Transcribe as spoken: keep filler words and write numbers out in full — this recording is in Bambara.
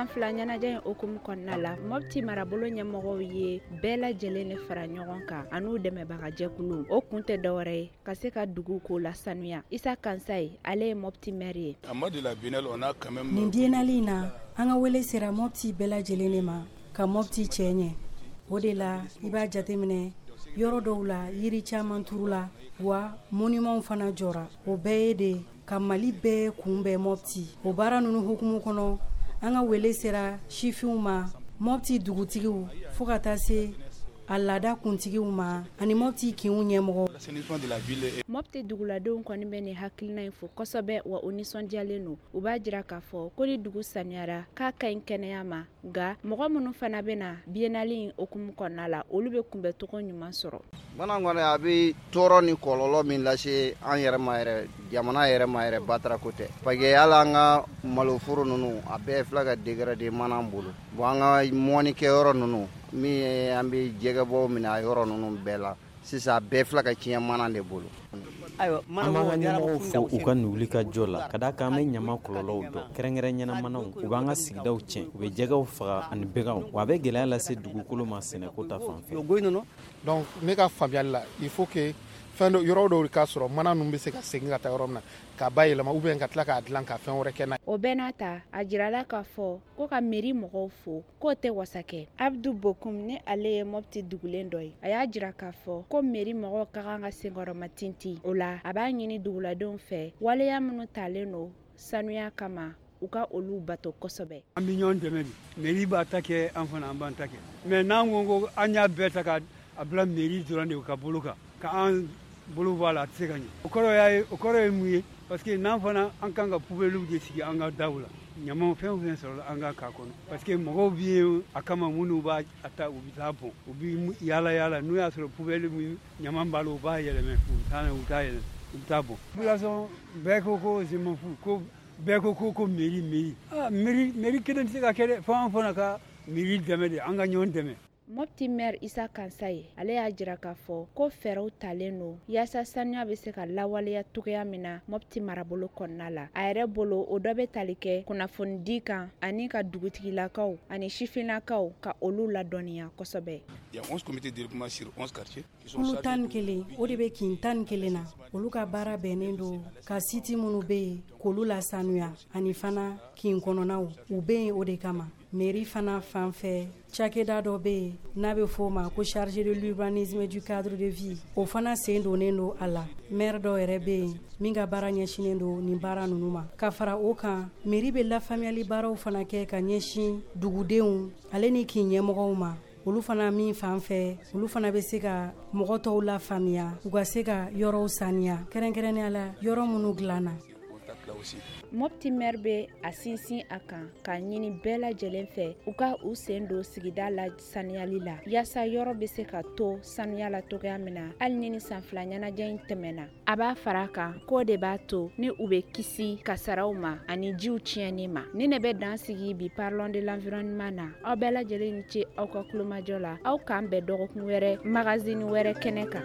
san fila ɲɛnajɛ in hukumu kɔnɔna la, Mopti marabolo ɲɛmɔgɔw ye bɛɛ lajɛlen de fara ɲɔgɔn kan an'u dɛmɛbagajɛkulu. O kun tɛ dɔwɛrɛ ye ka se ka dugu ko la sanuya. Isa Kansayi, ale ye Mopti maire ye. Nin biennale in na, an ka wele sera Mopti bɛɛ lajɛlen de ma ka Mopti cɛ ɲɛ. O de la, i b'a jateminɛ, yɔrɔ dɔw la, yiri caman turula wa monumentw fana jɔra. O bɛɛ ye de ka Mali bɛɛ kunbɛn Mopti. O baara ninnu hukumu kɔnɔ, an ka wele sera sifinw ma, Mopti dugutigiw, fo ka taa se a laada kuntigiw ma ani Mopti kinw ɲɛmɔgɔ. Mopti duguladenw kɔni bɛ nin hakilina in fo kosɛbɛ, wa o nisɔndiyalen don. U b'a jira k'a fɔ ko ni dugu saniyara, k'a ka ɲi kɛnɛya ma. Nka mɔgɔ minnu fana bɛ na biennale in hukumu kɔnɔna la, olu bɛ kunbɛncogo ɲuman sɔrɔ. Bana kɔni, a bɛ tɔɔrɔ ni kɔlɔlɔ min lase an yɛrɛ ma yɛrɛ, jamana yɛrɛ ma yɛrɛ, batarako tɛ, parce que hali an ka maloforo ninnu, a bɛɛ filɛ ka dégrader mana bolo. Bon, an ka mɔnikɛyɔrɔ ninnu min ye an bɛ jɛgɛbɔ minɛ, a yɔrɔ ninnu bɛɛ la sisan, a bɛɛ filɛ ka tiɲɛ mana de bolo. An b'an ka ɲɛmɔgɔw fo u ka nin wuli ka jɔ la, ka d'a kan an bɛ ɲama kɔlɔlɔw dɔn, kɛrɛnkɛrɛn ɲɛnamanaw. U b'an ka sigidaw tiɲɛ, u bɛ jɛgɛw faga ani baganw, wa a bɛ gɛlɛya lase dugukolo ma sɛnɛko ta fan fɛ. Donc ne ka faamuyali la, il faut que fɛn dɔ, yɔrɔ dɔw ka sɔrɔ, mana ninnu bɛ se ka segin ka taa yɔrɔ min na k'a bayɛlɛma, ou bien ka tila k'a dilan ka fɛn wɛrɛ kɛ n'a ye. O bɛɛ n'a ta, a jirala k'a fɔ ko ka mairie mɔgɔw fo k'o tɛ wasa kɛ. Abdu Bokum, ni ale ye Mopti dugulen dɔ ye, a y'a jira k'a fɔ ko mairie mɔgɔw ka kan ka senkɔrɔma tintin. O la, a b'a ɲini duguladenw fɛ, waleya minnu talen don sanuya kama, u ka olu bato kosɛbɛ. An bɛ ɲɔgɔn dɛmɛ de. Mairie b'a ta kɛ, an fana an b'an ta kɛ. Mais n'an ko ko an y'a bɛɛ ta ka a bila mairie dɔrɔn de ka bolo kan, ka an bolo bɔ a la, a tɛ se ka ɲɛ. O kɔrɔ y'a ye, o kɔrɔ ye mun ye? Parce que n'an fana, an kan ka poubelle de sigi an ka daw la, ɲamaw fɛn o fɛn sɔrɔla, an ka k'a kɔnɔ, parce que mɔgɔw bɛ yen a kama minnu b'a ta, u bɛ taa bɔn, u bɛ yaala yaala. N'u y'a sɔrɔ poubelle min ɲama b'a la, u b'a yɛlɛmɛ, u bɛ taa n'a ye, u bɛ taa yɛlɛmɛ, u bɛ taa bɔn. Population bɛɛ ko ko je m'en fous, ko bɛɛ ko ko ko mairie, mairie. Ah, mairie, mairie kelen tɛ se ka kɛ dɛ, fo an fana ka mairie dɛmɛ de, an ka ɲɔgɔn dɛmɛ. Mopti maire Isa Kansaye, ale y'a jira k'a fɔ ko fɛɛrɛw talen don yaasa sanuya bɛ se ka lawaleya cogoya min na Mopti marabolo kɔnɔna la. A yɛrɛ bolo, o dɔ bɛ tali kɛ kunnafonidi kan ani ka dugutigilakaw ani sifinnakaw ka olu ladɔnniya kosɛbɛ. Kulu tan ni kelen, o de bɛ kin tan ni kelen na. Olu ka baara bɛnnen don ka site minnu bɛ yen k'olu lasanuya ani fana kin kɔnɔnaw, u bɛ yen o de kama. Mairie fana fan fɛ, cakɛda dɔ bɛ yen n'a bɛ f'o ma ko chargé de l'urbanisme, du cadre de vie, o fana sen donnen don a la. Maire dɔw yɛrɛ bɛ yen min ka baara ɲɛsinnen don nin baara ninnu ma. Ka fara o kan, mairie bɛ lafaamuyali baaraw fana kɛ ka ɲɛsin dugudenw ale ni kin ɲɛmɔgɔw ma. Olu fana min fan fɛ, olu fana bɛ se ka mɔgɔ tɔw la faamuya, u ka se ka yɔrɔw saniya, kɛrɛnkɛrɛnnenya la yɔrɔ minnu dilanna. Mopti maire bɛ a sinsin a kan k'a ɲini bɛɛ lajɛlen fɛ, u ka u sen don sigida la saniyali la, yaasa yɔrɔ bɛ se ka to sanuya la cogoya min na, hali ni ni san fila ɲɛnajɛ in tɛmɛna. A b'a fara a kan k'o de b'a to ni u bɛ kisi kasaraw ma ani jiw tiɲɛni ma. Ni ne bɛ dan sigi bi Parlons de l'environnement na. Aw bɛɛ lajɛlen ni ce aw ka kulomajɔ la. Aw k'an bɛn dɔgɔkun wɛrɛ, magazine wɛrɛ kɛnɛ kan.